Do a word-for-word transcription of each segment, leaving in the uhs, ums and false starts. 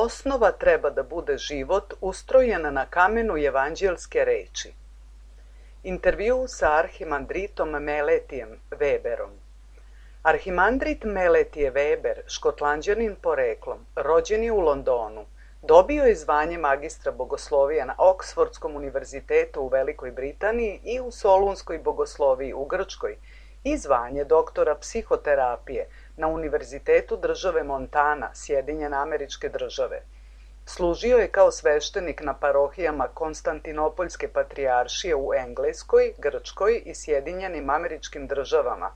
Osnova treba da bude život ustrojen na kamenu evanđelske reči. Intervju sa arhimandritom Meletijem Weberom. Arhimandrit Meletije Weber, škotlanđanin poreklom, rođen je u Londonu, dobio je zvanje magistra bogoslovija na Oksfordskom univerzitetu u Velikoj Britaniji i u Solunskoj bogosloviji u Grčkoj i zvanje doktora psihoterapije na Univerzitetu države Montana, Sjedinjene Američke Države. Služio je kao sveštenik na parohijama Konstantinopoljske patrijaršije u Engleskoj, Grčkoj i Sjedinjenim Američkim Državama,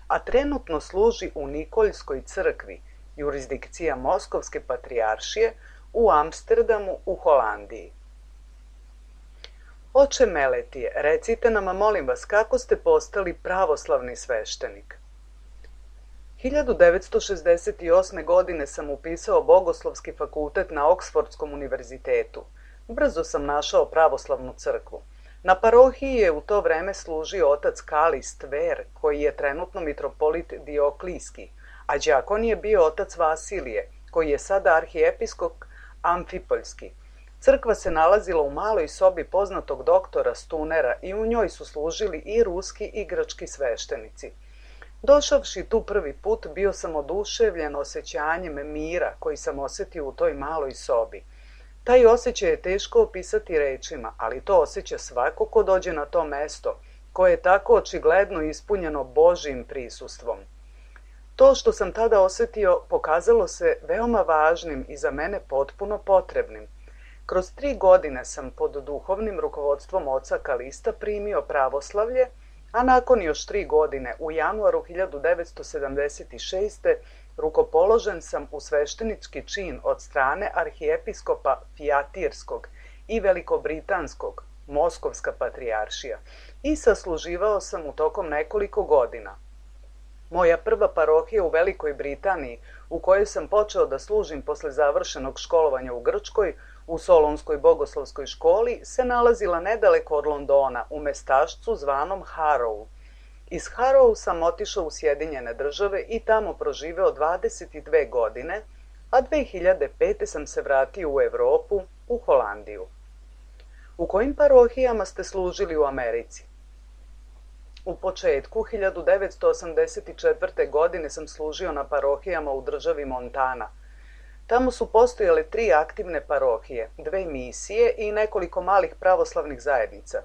a trenutno služi u Nikoljskoj crkvi, jurisdikcija Moskovske patrijaršije, u Amsterdamu u Holandiji. Oče Meletije, recite nam, molim vas, kako ste postali pravoslavni sveštenik? hiljadu devetsto šezdeset osme. godine sam upisao Bogoslovski fakultet na Oksfordskom univerzitetu. Brzo sam našao pravoslavnu crkvu. Na parohiji je u to vreme služio otac Kalist Ver, koji je trenutno mitropolit Dioklijski, a đakon je bio otac Vasilije, koji je sada arhijepiskop Amfipoljski. Crkva se nalazila u maloj sobi poznatog doktora Stunera i u njoj su služili i ruski i grčki sveštenici. Došavši tu prvi put, bio sam oduševljen osjećanjem mira koji sam osjetio u toj maloj sobi. Taj osjećaj je teško opisati rečima, ali to osjeća svako ko dođe na to mesto, koje je tako očigledno ispunjeno Božjim prisustvom. To što sam tada osjetio pokazalo se veoma važnim i za mene potpuno potrebnim. Kroz tri godine sam pod duhovnim rukovodstvom oca Kalista primio pravoslavlje, a nakon još tri godine, u januaru hiljadu devetsto sedamdeset šeste. rukopoložen sam u sveštenički čin od strane arhijepiskopa Fijatirskog i Velikobritanskog, Moskovska patrijaršija, i sasluživao sam u tokom nekoliko godina. Moja prva parohija u Velikoj Britaniji, u kojoj sam počeo da služim posle završenog školovanja u Grčkoj, u Solunskoj bogoslovskoj školi, se nalazila nedaleko od Londona, u mestašcu zvanom Harrow. Iz Harrow sam otišao u Sjedinjene Države i tamo proživeo dvadeset dve godine, a dve hiljade pete. sam se vratio u Evropu, u Holandiju. U kojim parohijama ste služili u Americi? U početku hiljadu devetsto osamdeset četvrte. godine sam služio na parohijama u državi Montana. Tamo su postojale tri aktivne parohije, dve misije i nekoliko malih pravoslavnih zajednica.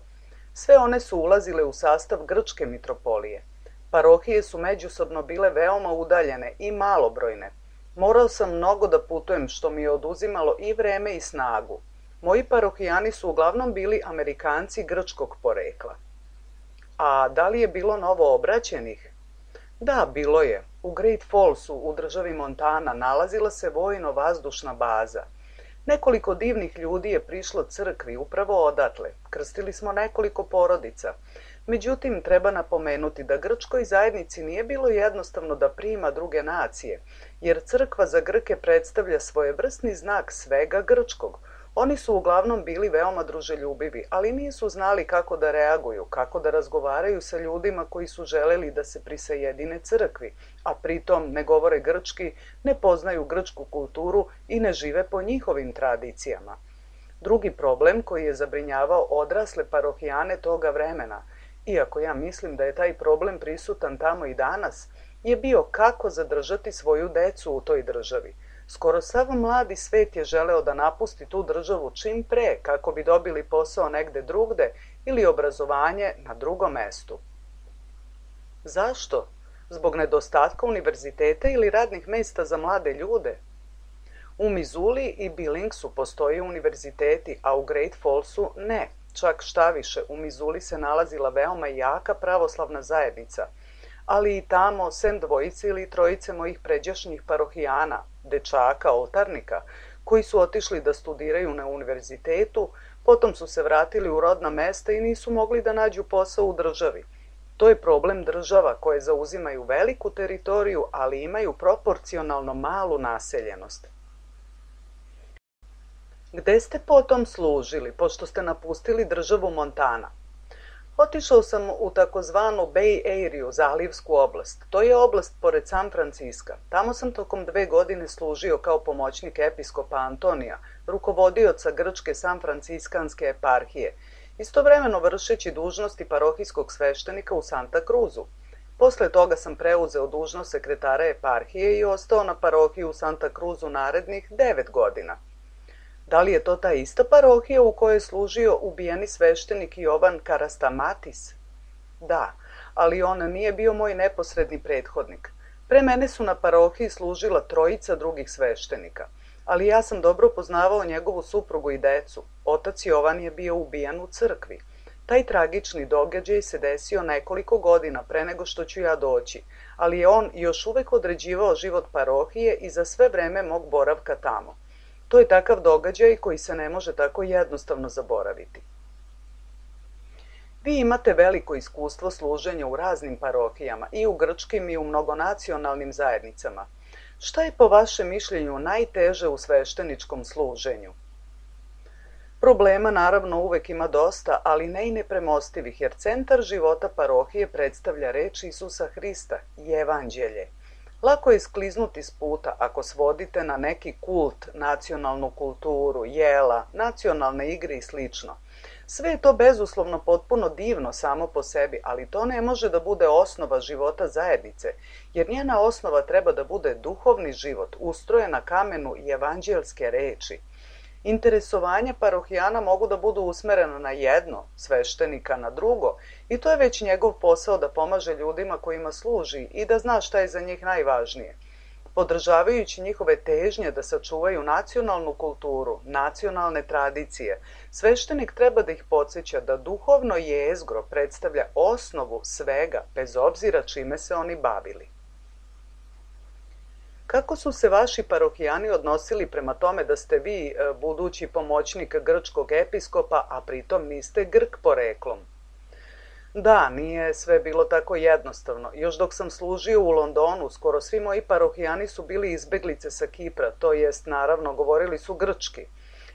Sve one su ulazile u sastav grčke mitropolije. Parohije su međusobno bile veoma udaljene i malobrojne. Morao sam mnogo da putujem, što mi je oduzimalo i vreme i snagu. Moji parohijani su uglavnom bili Amerikanci grčkog porekla. A da li je bilo novo obraćenih? Da, bilo je. U Great Fallsu u državi Montana nalazila se vojno-vazdušna baza. Nekoliko divnih ljudi je prišlo crkvi upravo odatle. Krstili smo nekoliko porodica. Međutim, treba napomenuti da grčkoj zajednici nije bilo jednostavno da prima druge nacije, jer crkva za Grke predstavlja svojevrsni znak svega grčkog. Oni su uglavnom bili veoma druželjubivi, ali nisu znali kako da reaguju, kako da razgovaraju sa ljudima koji su želeli da se prisajedine crkvi, a pritom ne govore grčki, ne poznaju grčku kulturu i ne žive po njihovim tradicijama. Drugi problem koji je zabrinjavao odrasle parohijane toga vremena, iako ja mislim da je taj problem prisutan tamo i danas, je bio kako zadržati svoju decu u toj državi. Skoro sav mladi svet je želeo da napusti tu državu čim pre kako bi dobili posao negde drugde ili obrazovanje na drugom mestu. Zašto? Zbog nedostatka univerziteta ili radnih mesta za mlade ljude? U Missouri i Billingsu postoje univerziteti, a u Great Fallsu ne. Čak šta više, u Missouri se nalazila veoma jaka pravoslavna zajednica, ali i tamo, sem dvojice ili trojice mojih pređašnjih parohijana, dečaka, oltarnika, koji su otišli da studiraju na univerzitetu, potom su se vratili u rodna mesta i nisu mogli da nađu posao u državi. To je problem država koje zauzimaju veliku teritoriju, ali imaju proporcionalno malu naseljenost. Gde ste potom služili, pošto ste napustili državu Montana? Otišao sam u takozvanu Bay Area, zalivsku oblast. To je oblast pored San Franciska. Tamo sam tokom dve godine služio kao pomoćnik episkopa Antonija, rukovodioca grčke San Franciskanske eparhije, istovremeno vršeći dužnosti parohijskog sveštenika u Santa Cruzu. Posle toga sam preuzeo dužnost sekretara eparhije i ostao na parohiji u Santa Cruzu narednih devet godina. Da li je to ta ista parohija u kojoj je služio ubijeni sveštenik Jovan Karastamatis? Da, ali on nije bio moj neposredni prethodnik. Pre mene su na parohiji služila trojica drugih sveštenika, ali ja sam dobro poznavao njegovu suprugu i decu. Otac Jovan je bio ubijan u crkvi. Taj tragični događaj se desio nekoliko godina pre nego što ću ja doći, ali je on još uvek određivao život parohije i za sve vreme mog boravka tamo. To je takav događaj koji se ne može tako jednostavno zaboraviti. Vi imate veliko iskustvo služenja u raznim parohijama, i u grčkim i u mnogonacionalnim zajednicama. Šta je po vašem mišljenju najteže u svešteničkom služenju? Problema naravno uvek ima dosta, ali ne i nepremostivih, jer centar života parohije predstavlja reč Isusa Hrista i evanđelje. Lako je skliznuti s puta ako svodite na neki kult, nacionalnu kulturu, jela, nacionalne igre i slično. Sve je to bezuslovno potpuno divno samo po sebi, ali to ne može da bude osnova života zajednice, jer njena osnova treba da bude duhovni život, ustrojen na kamenu i evanđelske reči. Interesovanja parohijana mogu da budu usmerena na jedno, sveštenika na drugo, i to je već njegov posao da pomaže ljudima kojima služi i da zna šta je za njih najvažnije. Podržavajući njihove težnje da sačuvaju nacionalnu kulturu, nacionalne tradicije, sveštenik treba da ih podsjeća da duhovno jezgro predstavlja osnovu svega, bez obzira čime se oni bavili. Kako su se vaši parohijani odnosili prema tome da ste vi budući pomoćnik grčkog episkopa, a pritom niste Grk poreklom? Da, nije sve bilo tako jednostavno. Još dok sam služio u Londonu, skoro svi moji parohijani su bili izbeglice sa Kipra, to jest, naravno, govorili su grčki.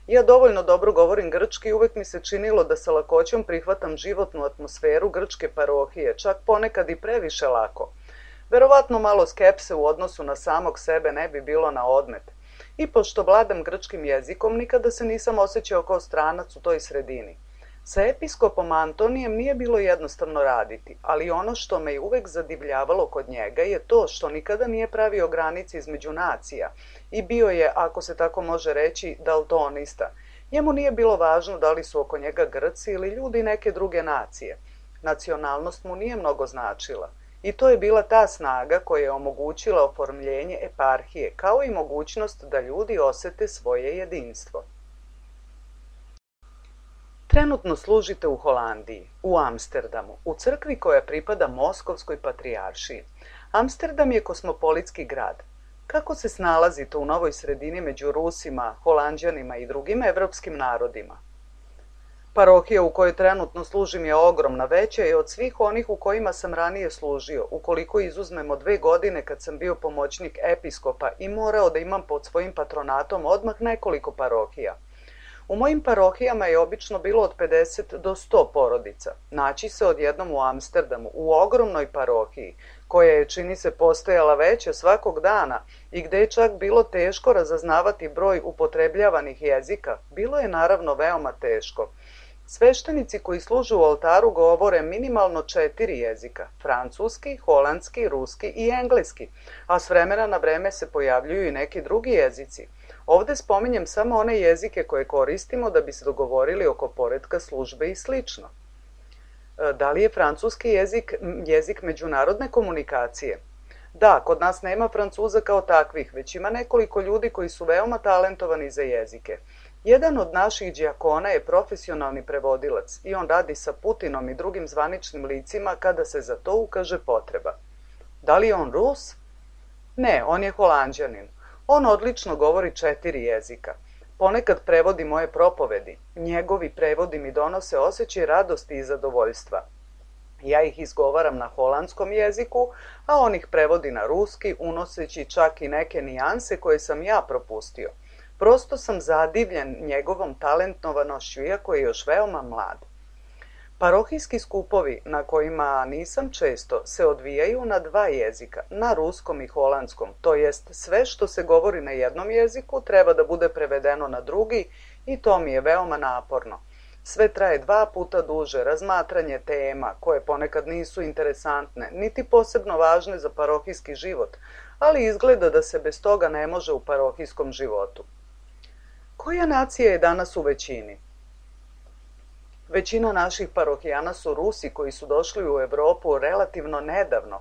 Ja dovoljno dobro govorim grčki i uvek mi se činilo da sa lakoćom prihvatam životnu atmosferu grčke parohije, čak ponekad i previše lako. Verovatno malo skepse u odnosu na samog sebe ne bi bilo na odmet. I pošto vladam grčkim jezikom, nikada se nisam osjećao kao stranac u toj sredini. Sa episkopom Antonijem nije bilo jednostavno raditi, ali ono što me je uvek zadivljavalo kod njega je to što nikada nije pravio granice između nacija i bio je, ako se tako može reći, daltonista. Njemu nije bilo važno da li su oko njega Grci ili ljudi neke druge nacije. Nacionalnost mu nije mnogo značila. I to je bila ta snaga koja je omogućila oformljenje eparhije, kao i mogućnost da ljudi osete svoje jedinstvo. Trenutno služite u Holandiji, u Amsterdamu, u crkvi koja pripada Moskovskoj patrijaršiji. Amsterdam je kosmopolitski grad. Kako se snalazite u novoj sredini među Rusima, Holanđanima i drugim evropskim narodima? Parohija u kojoj trenutno služim je ogromna, veća je od svih onih u kojima sam ranije služio, ukoliko izuzmemo dve godine kad sam bio pomoćnik episkopa i morao da imam pod svojim patronatom odmah nekoliko parohija. U mojim parohijama je obično bilo od pedeset do sto porodica. Naći se odjednom u Amsterdamu, u ogromnoj parohiji, koja je, čini se, postojala veća svakog dana i gde je čak bilo teško razaznavati broj upotrebljavanih jezika, bilo je naravno veoma teško. Sveštenici koji služe u oltaru govore minimalno četiri jezika: francuski, holandski, ruski i engleski, a s vremena na vreme se pojavljuju i neki drugi jezici. Ovde spominjem samo one jezike koje koristimo da bi se dogovorili oko poretka službe i slično. Da li je francuski jezik jezik međunarodne komunikacije? Da, kod nas nema Francuza kao takvih, već ima nekoliko ljudi koji su veoma talentovani za jezike. Jedan od naših đakona je profesionalni prevodilac i on radi sa Putinom i drugim zvaničnim licima kada se za to ukaže potreba. Da li je on Rus? Ne, on je Holanđanin. On odlično govori četiri jezika. Ponekad prevodi moje propovedi. Njegovi prevodi mi donose osjećaj radosti i zadovoljstva. Ja ih izgovaram na holandskom jeziku, a on ih prevodi na ruski, unoseći čak i neke nijanse koje sam ja propustio. Prosto sam zadivljen njegovom talentnovanošću, iako je još veoma mlad. Parohijski skupovi, na kojima nisam često, se odvijaju na dva jezika, na ruskom i holandskom, to jest sve što se govori na jednom jeziku treba da bude prevedeno na drugi i to mi je veoma naporno. Sve traje dva puta duže, razmatranje tema, koje ponekad nisu interesantne, niti posebno važne za parohijski život, ali izgleda da se bez toga ne može u parohijskom životu. Koja nacija je danas u većini? Većina naših parohijana su Rusi koji su došli u Evropu relativno nedavno.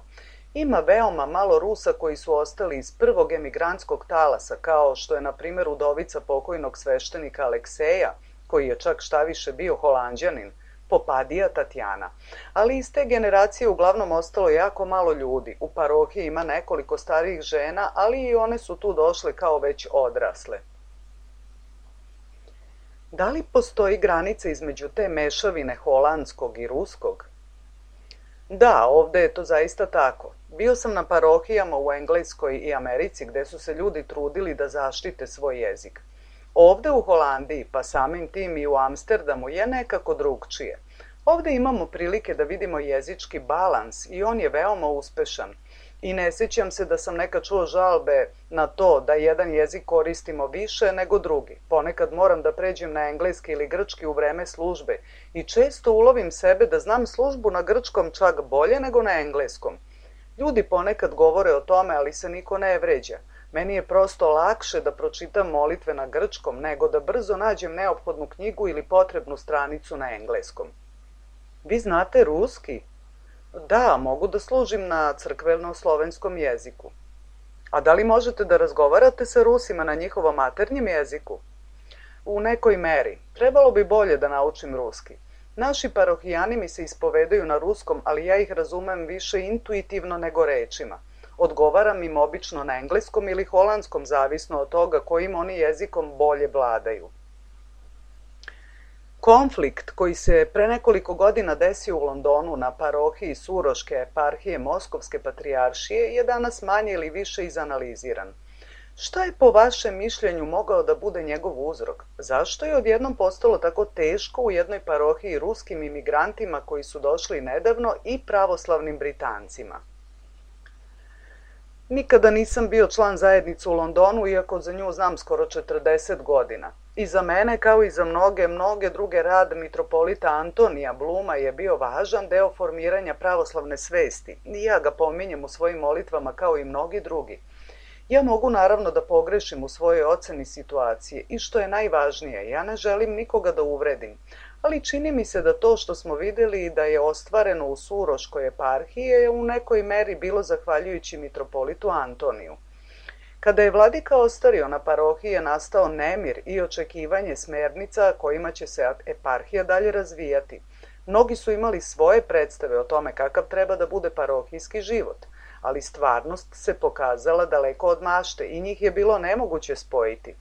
Ima veoma malo Rusa koji su ostali iz prvog emigrantskog talasa, kao što je na primjer udovica pokojnog sveštenika Alekseja, koji je čak štaviše bio Holanđanin, Popadija Tatjana. Ali iz te generacije uglavnom ostalo jako malo ljudi. U parohiji ima nekoliko starijih žena, ali i one su tu došle kao već odrasle. Da li postoji granica između te mešavine holandskog i ruskog? Da, ovde je to zaista tako. Bio sam na parohijama u Engleskoj i Americi gde su se ljudi trudili da zaštite svoj jezik. Ovde u Holandiji, pa samim tim i u Amsterdamu, je nekako drugčije. Ovde imamo prilike da vidimo jezički balans i on je veoma uspešan. I ne sjećam se da sam nekad čuo žalbe na to da jedan jezik koristimo više nego drugi. Ponekad moram da pređem na engleski ili grčki u vreme službe i često ulovim sebe da znam službu na grčkom čak bolje nego na engleskom. Ljudi ponekad govore o tome, ali se niko ne vređa. Meni je prosto lakše da pročitam molitve na grčkom nego da brzo nađem neophodnu knjigu ili potrebnu stranicu na engleskom. Vi znate ruski? Da, mogu da služim na crkveno-slovenskom jeziku. A da li možete da razgovarate sa Rusima na njihovom maternjem jeziku? U nekoj meri. Trebalo bi bolje da naučim ruski. Naši parohijani mi se ispovedaju na ruskom, ali ja ih razumem više intuitivno nego rečima. Odgovaram im obično na engleskom ili holandskom, zavisno od toga kojim oni jezikom bolje vladaju. Konflikt koji se pre nekoliko godina desio u Londonu na parohiji Suroške eparhije Moskovske patrijaršije je danas manje ili više izanaliziran. Šta je po vašem mišljenju mogao da bude njegov uzrok? Zašto je odjednom postalo tako teško u jednoj parohiji ruskim imigrantima koji su došli nedavno i pravoslavnim Britancima? Nikada nisam bio član zajednice u Londonu, iako za nju znam skoro četrdeset godina. I za mene, kao i za mnoge, mnoge druge, rad mitropolita Antonija Bluma je bio važan deo formiranja pravoslavne svesti. I ja ga pominjem u svojim molitvama kao i mnogi drugi. Ja mogu naravno da pogrešim u svojoj oceni situacije i što je najvažnije, ja ne želim nikoga da uvredim, ali čini mi se da to što smo videli da je ostvareno u Suroškoj eparhiji je u nekoj meri bilo zahvaljujući mitropolitu Antoniju. Kada je vladika ostario, na parohiji je nastao nemir i očekivanje smernica kojima će se eparhija dalje razvijati. Mnogi su imali svoje predstave o tome kakav treba da bude parohijski život, ali stvarnost se pokazala daleko od mašte i njih je bilo nemoguće spojiti.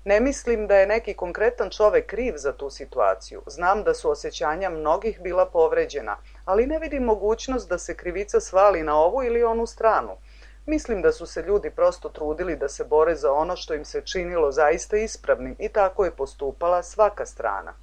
Ne mislim da je neki konkretan čovek kriv za tu situaciju. Znam da su osjećanja mnogih bila povređena, ali ne vidim mogućnost da se krivica svali na ovu ili onu stranu. Mislim da su se ljudi prosto trudili da se bore za ono što im se činilo zaista ispravnim i tako je postupala svaka strana.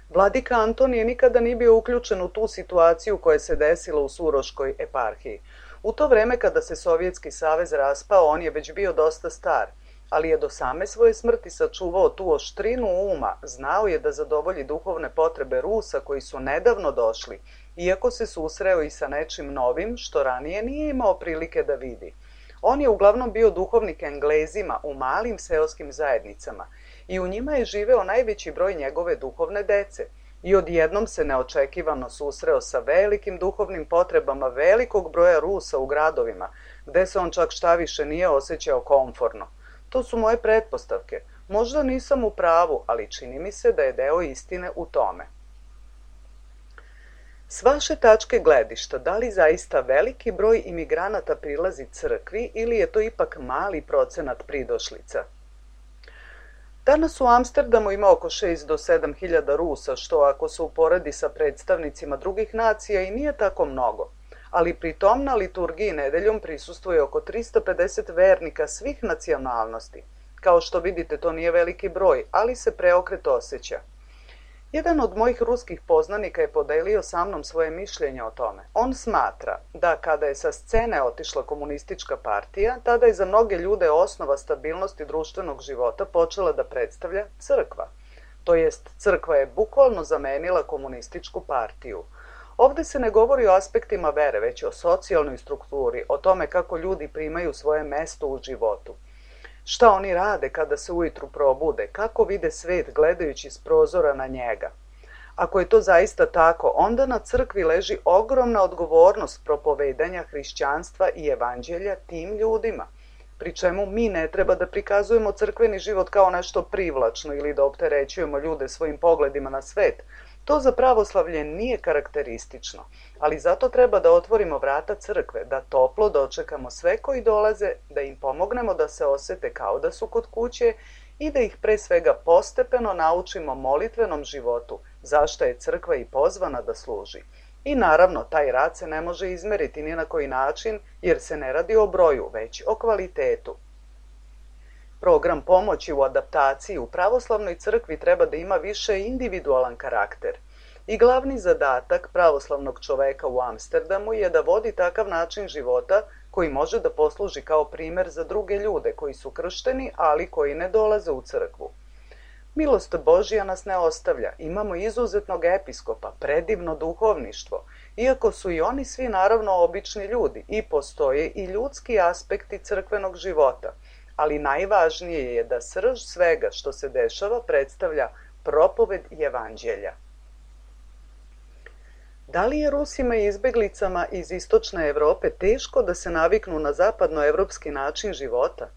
Vladika Antonije nikada nije bio uključen u tu situaciju koja se desila u Suroškoj eparhiji. U to vreme kada se Sovjetski savez raspao, on je već bio dosta star. ali je do same svoje smrti sačuvao tu oštrinu uma, znao je da zadovolji duhovne potrebe Rusa koji su nedavno došli, iako se susreo i sa nečim novim što ranije nije imao prilike da vidi. On je uglavnom bio duhovnik Englezima u malim seoskim zajednicama i u njima je živeo najveći broj njegove duhovne dece i odjednom se neočekivano susreo sa velikim duhovnim potrebama velikog broja Rusa u gradovima, gde se on čak šta više nije osjećao komforno. To su moje pretpostavke. Možda nisam u pravu, ali čini mi se da je deo istine u tome. S vaše tačke gledišta, da li zaista veliki broj imigranata prilazi crkvi ili je to ipak mali procenat pridošlica? Danas u Amsterdamu ima oko šest do sedam hiljada Rusa, što ako se uporedi sa predstavnicima drugih nacija i nije tako mnogo. Ali pri tom na liturgiji nedeljom prisustvuje oko trista pedeset vernika svih nacionalnosti. Kao što vidite, to nije veliki broj, ali se preokret osjeća. Jedan od mojih ruskih poznanika je podelio sa mnom svoje mišljenje o tome. On smatra da kada je sa scene otišla komunistička partija, tada je za mnoge ljude osnova stabilnosti društvenog života počela da predstavlja crkva. To jest, crkva je bukvalno zamenila komunističku partiju. Ovde se ne govori o aspektima vere, već o socijalnoj strukturi, o tome kako ljudi primaju svoje mesto u životu. Šta oni rade kada se ujutru probude, kako vide svet gledajući s prozora na njega. Ako je to zaista tako, onda na crkvi leži ogromna odgovornost propovedanja hrišćanstva i evanđelja tim ljudima, pri čemu mi ne treba da prikazujemo crkveni život kao nešto privlačno ili da opterećujemo ljude svojim pogledima na svet. To za pravoslavlje nije karakteristično, ali zato treba da otvorimo vrata crkve, da toplo dočekamo sve koji dolaze, da im pomognemo da se osete kao da su kod kuće i da ih pre svega postepeno naučimo molitvenom životu, zašto je crkva i pozvana da služi. I naravno, taj rad se ne može izmeriti ni na koji način, jer se ne radi o broju, već o kvalitetu. Program pomoći u adaptaciji u pravoslavnoj crkvi treba da ima više individualan karakter. I glavni zadatak pravoslavnog čoveka u Amsterdamu je da vodi takav način života koji može da posluži kao primer za druge ljude koji su kršteni, ali koji ne dolaze u crkvu. Milost Božja nas ne ostavlja. Imamo izuzetnog episkopa, predivno duhovništvo, iako su i oni svi naravno obični ljudi i postoje i ljudski aspekti crkvenog života. Ali najvažnije je da srž svega što se dešava predstavlja propoved evanđelja. Da li je Rusima i izbeglicama iz istočne Evrope teško da se naviknu na zapadnoevropski način života?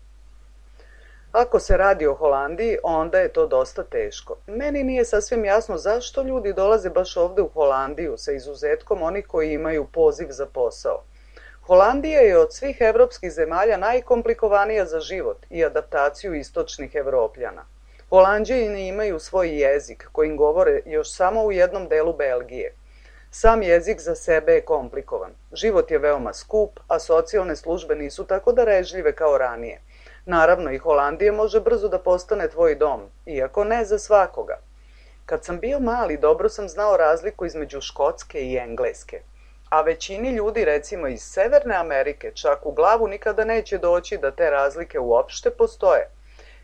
Ako se radi o Holandiji, onda je to dosta teško. Meni nije sasvim jasno zašto ljudi dolaze baš ovde u Holandiju, sa izuzetkom onih koji imaju poziv za posao. Holandija je od svih evropskih zemalja najkomplikovanija za život i adaptaciju istočnih Evropljana. Holanđani imaju svoj jezik kojim govore još samo u jednom delu Belgije. Sam jezik za sebe je komplikovan. Život je veoma skup, a socijalne službe nisu tako darežljive kao ranije. Naravno, i Holandija može brzo da postane tvoj dom, iako ne za svakoga. Kad sam bio mali, dobro sam znao razliku između Škotske i Engleske. A većini ljudi, recimo iz Severne Amerike, čak u glavu nikada neće doći da te razlike uopšte postoje.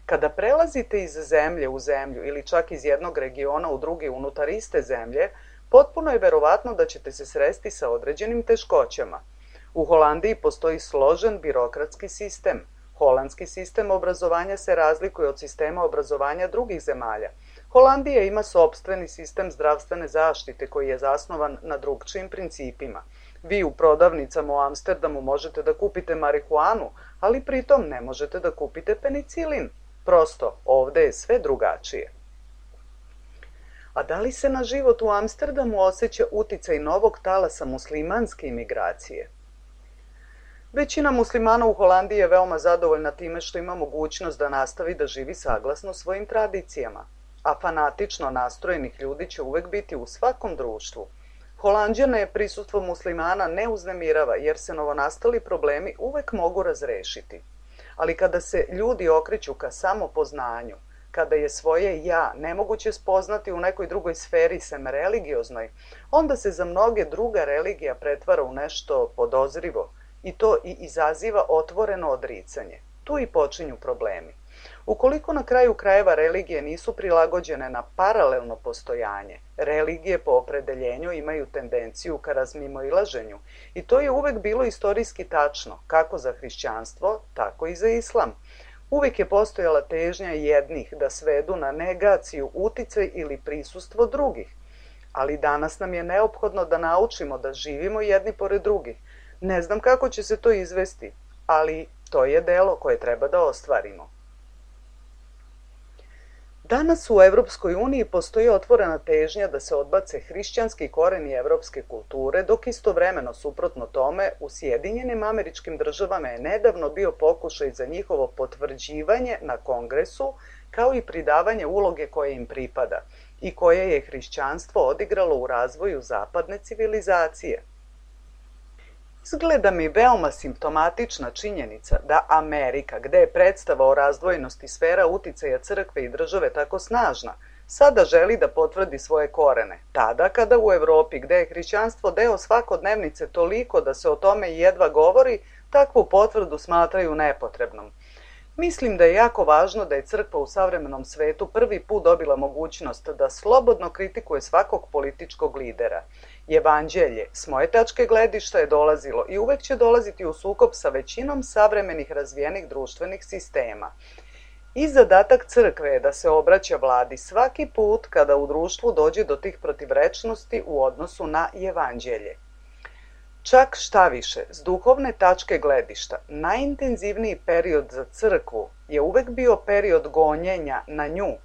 Kada prelazite iz zemlje u zemlju ili čak iz jednog regiona u drugi unutar iste zemlje, potpuno je verovatno da ćete se sresti sa određenim teškoćama. U Holandiji postoji složen birokratski sistem. Holandski sistem obrazovanja se razlikuje od sistema obrazovanja drugih zemalja. Holandija ima sopstveni sistem zdravstvene zaštite koji je zasnovan na drugčijim principima. Vi u prodavnicama u Amsterdamu možete da kupite marihuanu, ali pritom ne možete da kupite penicilin. Prosto, ovde je sve drugačije. A da li se na život u Amsterdamu osjeća uticaj novog talasa muslimanske imigracije? Većina muslimana u Holandiji je veoma zadovoljna time što ima mogućnost da nastavi da živi saglasno svojim tradicijama, a fanatično nastrojenih ljudi će uvek biti u svakom društvu. Holanđane prisustvo muslimana ne uznemirava jer se novonastali problemi uvek mogu razrešiti. Ali kada se ljudi okreću ka samopoznanju, kada je svoje ja nemoguće spoznati u nekoj drugoj sferi sem religioznoj, onda se za mnoge druga religija pretvara u nešto podozrivo i to i izaziva otvoreno odricanje. Tu i počinju problemi. Ukoliko na kraju krajeva religije nisu prilagođene na paralelno postojanje, religije po opredeljenju imaju tendenciju ka razmimoilaženju i to je uvek bilo istorijski tačno, kako za hrišćanstvo, tako i za islam. Uvijek je postojala težnja jednih da svedu na negaciju uticaj ili prisustvo drugih, ali danas nam je neophodno da naučimo da živimo jedni pored drugih. Ne znam kako će se to izvesti, ali to je delo koje treba da ostvarimo. Danas u Evropskoj uniji postoji otvorena težnja da se odbace hrišćanski koreni evropske kulture, dok istovremeno, suprotno tome, u Sjedinjenim Američkim Državama je nedavno bio pokušaj za njihovo potvrđivanje na kongresu, kao i pridavanje uloge koje im pripada i koje je hrišćanstvo odigralo u razvoju zapadne civilizacije. Izgleda mi veoma simptomatična činjenica da Amerika, gde je predstava o razdvojenosti sfera uticaja crkve i države tako snažna, sada želi da potvrdi svoje korene, tada kada u Evropi, gde je hrišćanstvo deo svakodnevnice toliko da se o tome jedva govori, takvu potvrdu smatraju nepotrebnom. Mislim da je jako važno da je crkva u savremenom svetu prvi put dobila mogućnost da slobodno kritikuje svakog političkog lidera. Evanđelje, s moje tačke gledišta, je dolazilo i uvek će dolaziti u sukob sa većinom savremenih razvijenih društvenih sistema. I zadatak crkve je da se obraća vladi svaki put kada u društvu dođe do tih protivrečnosti u odnosu na Evanđelje. Čak šta više, s duhovne tačke gledišta, najintenzivniji period za crkvu je uvek bio period gonjenja na nju,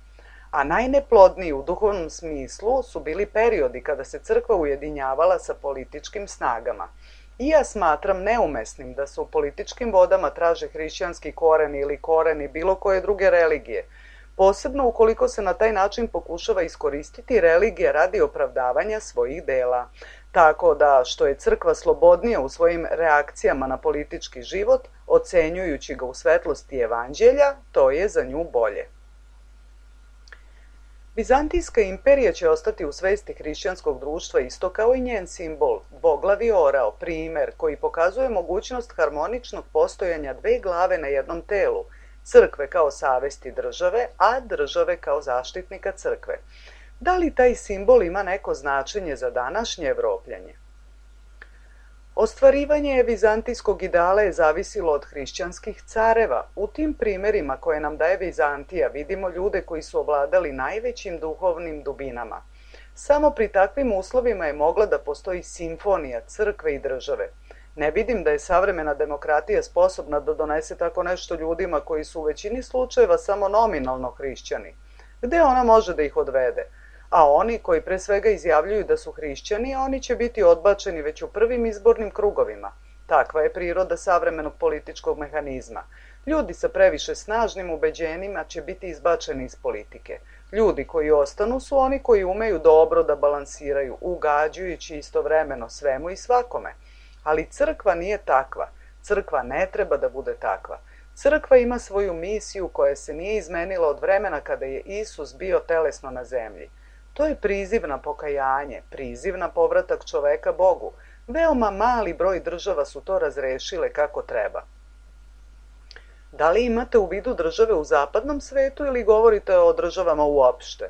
a najneplodniji u duhovnom smislu su bili periodi kada se crkva ujedinjavala sa političkim snagama. I ja smatram neumesnim da se u političkim vodama traže hrišćanski koreni ili koreni bilo koje druge religije, posebno ukoliko se na taj način pokušava iskoristiti religija radi opravdavanja svojih dela. Tako da, što je crkva slobodnija u svojim reakcijama na politički život, ocenjujući ga u svetlosti Evanđelja, to je za nju bolje. Bizantijska imperija će ostati u svesti hrišćanskog društva isto kao i njen simbol, dvoglavi orao, primer koji pokazuje mogućnost harmoničnog postojanja dve glave na jednom telu, crkve kao savesti države, a države kao zaštitnika crkve. Da li taj simbol ima neko značenje za današnje Evropljanje? Ostvarivanje vizantijskog ideala je zavisilo od hrišćanskih careva. U tim primerima koje nam daje Vizantija vidimo ljude koji su ovladali najvećim duhovnim dubinama. Samo pri takvim uslovima je mogla da postoji simfonija crkve i države. Ne vidim da je savremena demokratija sposobna da donese tako nešto ljudima koji su u većini slučajeva samo nominalno hrišćani. Gde ona može da ih odvede? A oni koji pre svega izjavljuju da su hrišćani, oni će biti odbačeni već u prvim izbornim krugovima. Takva je priroda savremenog političkog mehanizma. Ljudi sa previše snažnim ubeđenjima će biti izbačeni iz politike. Ljudi koji ostanu su oni koji umeju dobro da balansiraju, ugađujući istovremeno svemu i svakome. Ali crkva nije takva. Crkva ne treba da bude takva. Crkva ima svoju misiju koja se nije izmenila od vremena kada je Isus bio telesno na zemlji. To je priziv na pokajanje, priziv na povratak čoveka Bogu. Veoma mali broj država su to razrešile kako treba. Da li imate u vidu države u zapadnom svetu ili govorite o državama uopšte?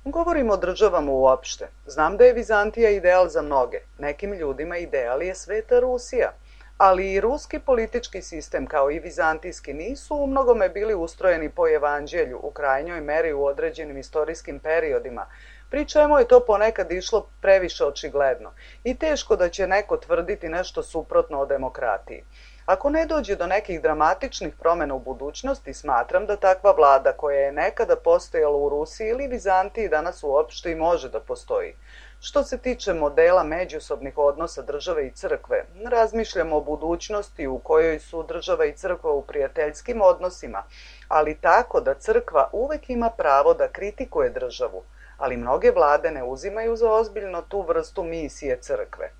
Govorimo o državama uopšte. Znam da je Vizantija ideal za mnoge. Nekim ljudima ideal je Sveta Rusija. Ali i ruski politički sistem kao i vizantijski nisu u mnogome bili ustrojeni po Evanđelju u krajnjoj meri u određenim istorijskim periodima, pri čemu je to ponekad išlo previše očigledno i teško da će neko tvrditi nešto suprotno o demokratiji. Ako ne dođe do nekih dramatičnih promjena u budućnosti, smatram da takva vlada koja je nekada postojala u Rusiji ili Vizantiji danas uopšte i može da postoji. Što se tiče modela međusobnih odnosa države i crkve, razmišljamo o budućnosti u kojoj su država i crkva u prijateljskim odnosima, ali tako da crkva uvek ima pravo da kritikuje državu, ali mnoge vlade ne uzimaju za ozbiljno tu vrstu misije crkve.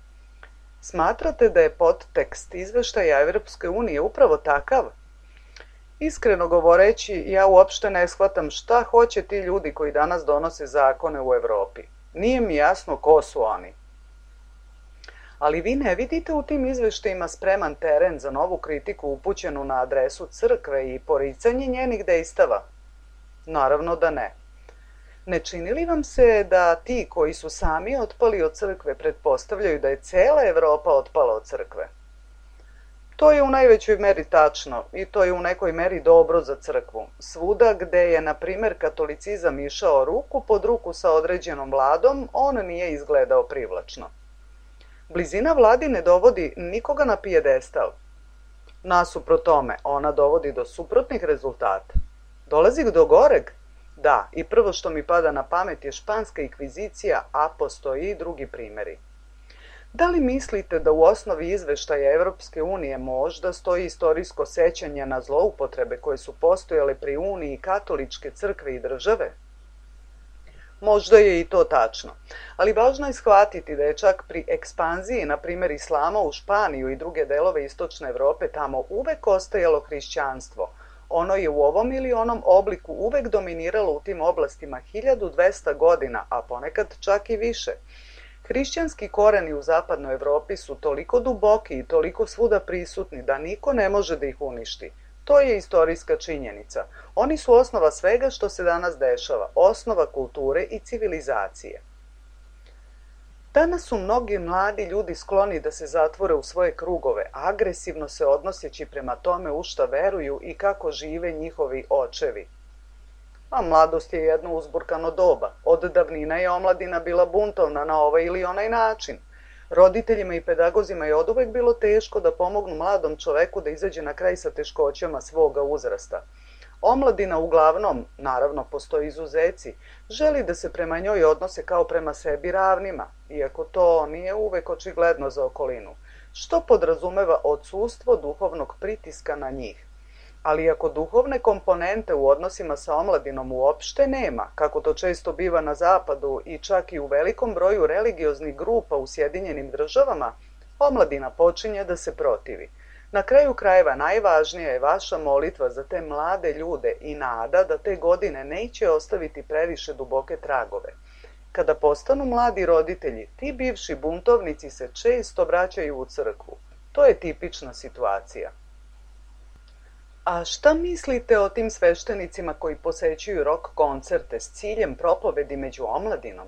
Smatrate da je podtekst izveštaja Evropske unije upravo takav? Iskreno govoreći, ja uopšte ne shvatam šta hoće ti ljudi koji danas donose zakone u Evropi. Nije mi jasno ko su oni. Ali vi ne vidite u tim izveštajima spreman teren za novu kritiku upućenu na adresu crkve i poricanje njenih dejstava? Naravno da ne. Ne čini li vam se da ti koji su sami otpali od crkve pretpostavljaju da je cela Evropa otpala od crkve? To je u najvećoj meri tačno i to je u nekoj meri dobro za crkvu. Svuda gde je, na primer, katolicizam išao ruku pod ruku sa određenom vladom, on nije izgledao privlačno. Blizina vladi ne dovodi nikoga na pijedestal. Nasuprot tome, ona dovodi do suprotnih rezultata. Dolazi do goreg? Da, i prvo što mi pada na pamet je španska inkvizicija, a postoji i drugi primjeri. Da li mislite da u osnovi izveštaja Evropske unije možda stoji istorijsko sećanje na zloupotrebe koje su postojale pri Uniji katoličke crkve i države? Možda je i to tačno, ali važno je shvatiti da je čak pri ekspanziji, na primjer islama u Španiju i druge delove istočne Evrope, tamo uvek ostajalo hrišćanstvo. Ono je u ovom ili onom obliku uvek dominiralo u tim oblastima hiljadu dvesta godina, a ponekad čak i više. Hrišćanski koreni u zapadnoj Evropi su toliko duboki i toliko svuda prisutni da niko ne može da ih uništi. To je istorijska činjenica. Oni su osnova svega što se danas dešava, osnova kulture i civilizacije. Danas su mnogi mladi ljudi skloni da se zatvore u svoje krugove, agresivno se odnoseći prema tome u šta veruju i kako žive njihovi očevi. A mladost je jedno uzburkano doba. Od davnina je omladina bila buntovna na ovaj ili onaj način. Roditeljima i pedagozima je oduvek bilo teško da pomognu mladom čoveku da izađe na kraj sa teškoćama svoga uzrasta. Omladina uglavnom, naravno postoji izuzeci, želi da se prema njoj odnose kao prema sebi ravnima, iako to nije uvek očigledno za okolinu, što podrazumeva odsustvo duhovnog pritiska na njih. Ali ako duhovne komponente u odnosima sa omladinom uopšte nema, kako to često biva na zapadu i čak i u velikom broju religioznih grupa u Sjedinjenim državama, omladina počinje da se protivi. Na kraju krajeva najvažnija je vaša molitva za te mlade ljude i nada da te godine neće ostaviti previše duboke tragove. Kada postanu mladi roditelji, ti bivši buntovnici se često vraćaju u crkvu. To je tipična situacija. A šta mislite o tim sveštenicima koji posećuju rock koncerte s ciljem propovedi među omladinom?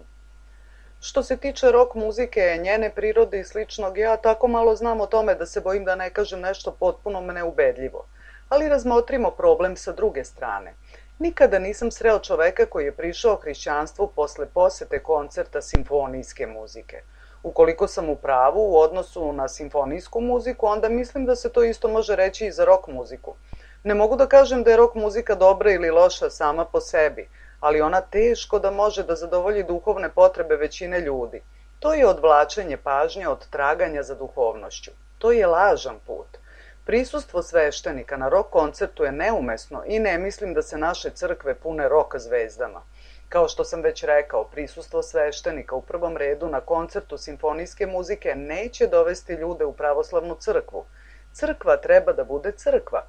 Što se tiče rock muzike, njene prirode i sličnog, ja tako malo znam o tome da se bojim da ne kažem nešto potpuno neubedljivo. Ali razmotrimo problem sa druge strane. Nikada nisam sreo čoveka koji je prišao hrišćanstvu posle posete koncerta simfonijske muzike. Ukoliko sam u pravu u odnosu na simfonijsku muziku, onda mislim da se to isto može reći i za rock muziku. Ne mogu da kažem da je rock muzika dobra ili loša sama po sebi, ali ona teško da može da zadovolji duhovne potrebe većine ljudi. To je odvlačenje pažnje od traganja za duhovnošću. To je lažan put. Prisustvo sveštenika na rock koncertu je neumesno i ne mislim da se naše crkve pune rock zvezdama. Kao što sam već rekao, prisustvo sveštenika u prvom redu na koncertu simfonijske muzike neće dovesti ljude u pravoslavnu crkvu. Crkva treba da bude crkva.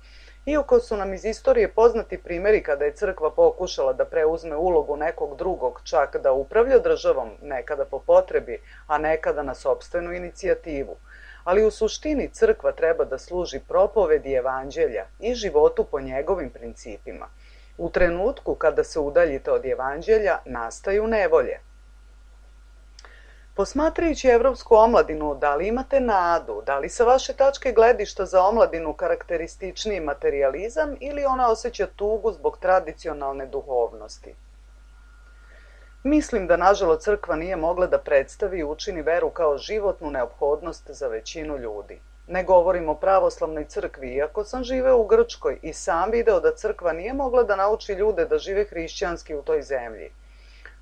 Iako su nam iz istorije poznati primjeri kada je crkva pokušala da preuzme ulogu nekog drugog, čak da upravlja državom, nekada po potrebi, a nekada na sopstvenu inicijativu. Ali u suštini crkva treba da služi propovedi evanđelja i životu po njegovim principima. U trenutku kada se udaljite od evanđelja, nastaju nevolje. Posmatrajući evropsku omladinu, da li imate nadu, da li sa vaše tačke gledišta za omladinu karakterističniji materijalizam ili ona osjeća tugu zbog tradicionalne duhovnosti? Mislim da, nažalost, crkva nije mogla da predstavi i učini veru kao životnu neophodnost za većinu ljudi. Ne govorim o pravoslavnoj crkvi, iako sam živeo u Grčkoj i sam video da crkva nije mogla da nauči ljude da žive hrišćanski u toj zemlji.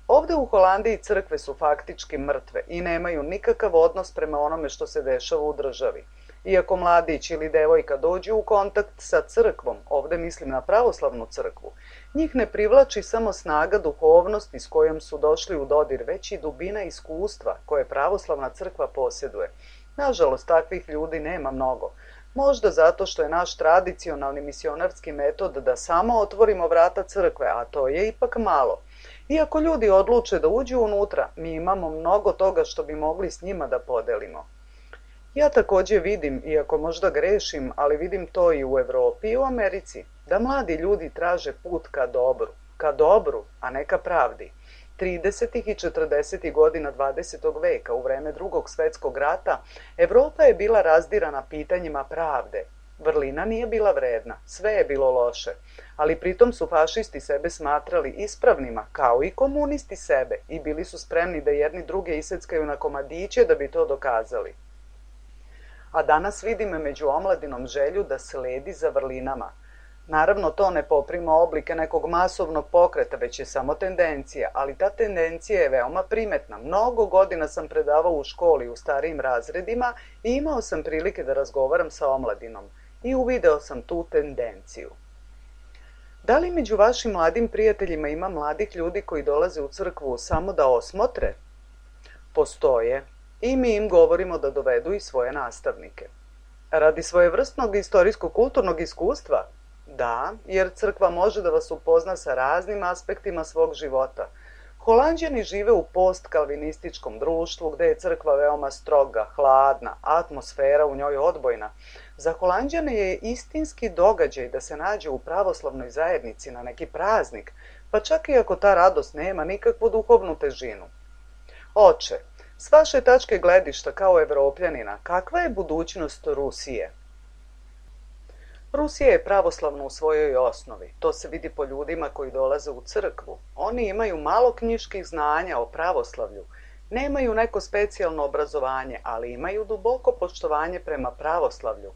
Ovde u Holandiji crkve su faktički mrtve i nemaju nikakav odnos prema onome što se dešava u državi. Iako mladić ili devojka dođu u kontakt sa crkvom, ovde mislim na pravoslavnu crkvu, njih ne privlači samo snaga duhovnosti s kojom su došli u dodir, već i dubina iskustva koje pravoslavna crkva posjeduje. Nažalost, takvih ljudi nema mnogo. Možda zato što je naš tradicionalni misionarski metod da samo otvorimo vrata crkve, a to je ipak malo. Iako ljudi odluče da uđu unutra, mi imamo mnogo toga što bi mogli s njima da podelimo. Ja također vidim, iako možda grešim, ali vidim to i u Europi i u Americi, da mladi ljudi traže put ka dobru, ka dobru, a ne ka pravdi. tridesetih i četrdesetih godina dvadesetog veka, u vreme Drugog svjetskog rata, Europa je bila razdirana pitanjima pravde. Vrlina nije bila vredna, sve je bilo loše, ali pritom su fašisti sebe smatrali ispravnima, kao i komunisti sebe, i bili su spremni da jedni druge iseckaju na komadiće da bi to dokazali. A danas vidim među omladinom želju da sledi za vrlinama. Naravno, to ne poprima oblike nekog masovnog pokreta, već je samo tendencija, ali ta tendencija je veoma primetna. Mnogo godina sam predavao u školi u starijim razredima i imao sam prilike da razgovaram sa omladinom i uvideo sam tu tendenciju. Da li među vašim mladim prijateljima ima mladih ljudi koji dolaze u crkvu samo da osmotre? Postoje. I mi im govorimo da dovedu i svoje nastavnike. Radi svojevrsnog istorijsko-kulturnog iskustva? Da, jer crkva može da vas upozna sa raznim aspektima svog života. Holanđani žive u post-kalvinističkom društvu gde je crkva veoma stroga, hladna, atmosfera u njoj odbojna. Za Holanđane je istinski događaj da se nađe u pravoslavnoj zajednici na neki praznik, pa čak i ako ta radost nema nikakvu duhovnu težinu. Oče, s vaše tačke gledišta kao Evropljanina, kakva je budućnost Rusije? Rusija je pravoslavna u svojoj osnovi. To se vidi po ljudima koji dolaze u crkvu. Oni imaju malo knjiških znanja o pravoslavlju, nemaju neko specijalno obrazovanje, ali imaju duboko poštovanje prema pravoslavlju,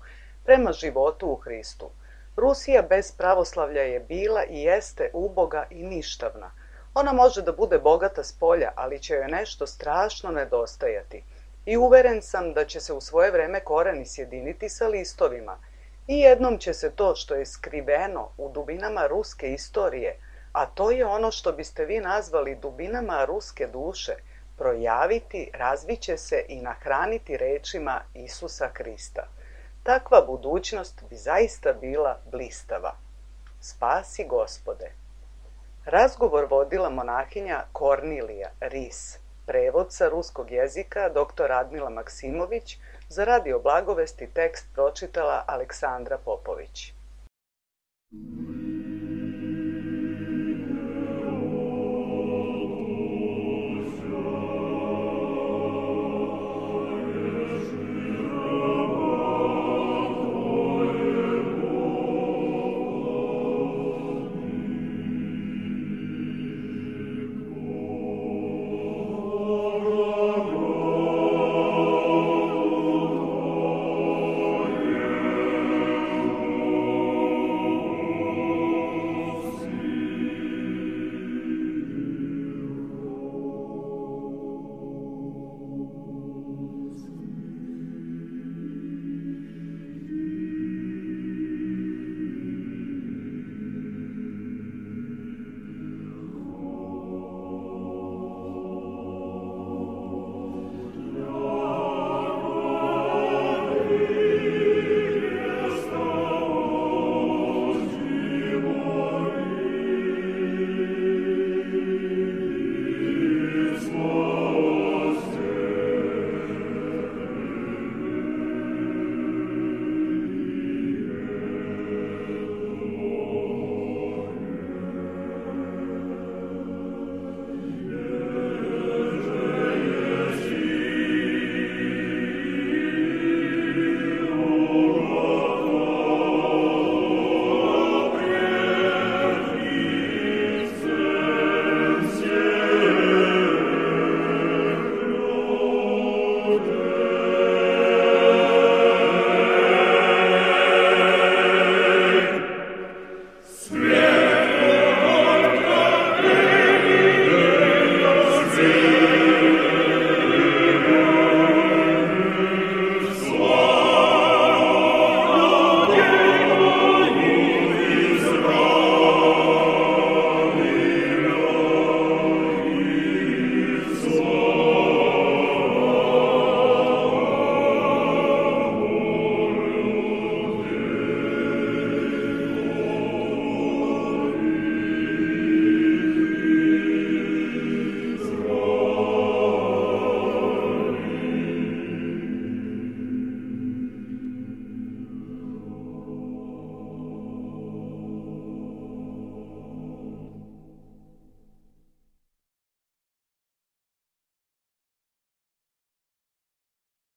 prema životu u Hristu. Rusija bez pravoslavlja je bila i jeste uboga i ništavna. Ona može da bude bogata s polja, ali će joj nešto strašno nedostajati. I uveren sam da će se u svoje vreme koreni sjediniti sa listovima. I jednom će se to što je skriveno u dubinama ruske istorije, a to je ono što biste vi nazvali dubinama ruske duše, projaviti, razviće se i nahraniti rečima Isusa Hrista. Takva budućnost bi zaista bila blistava. Spasi Gospode. Razgovor vodila monahinja Kornilija Ris, prevod sa ruskog jezika doktor Radmila Maksimović, za Radio Blagovesti tekst pročitala Aleksandra Popović.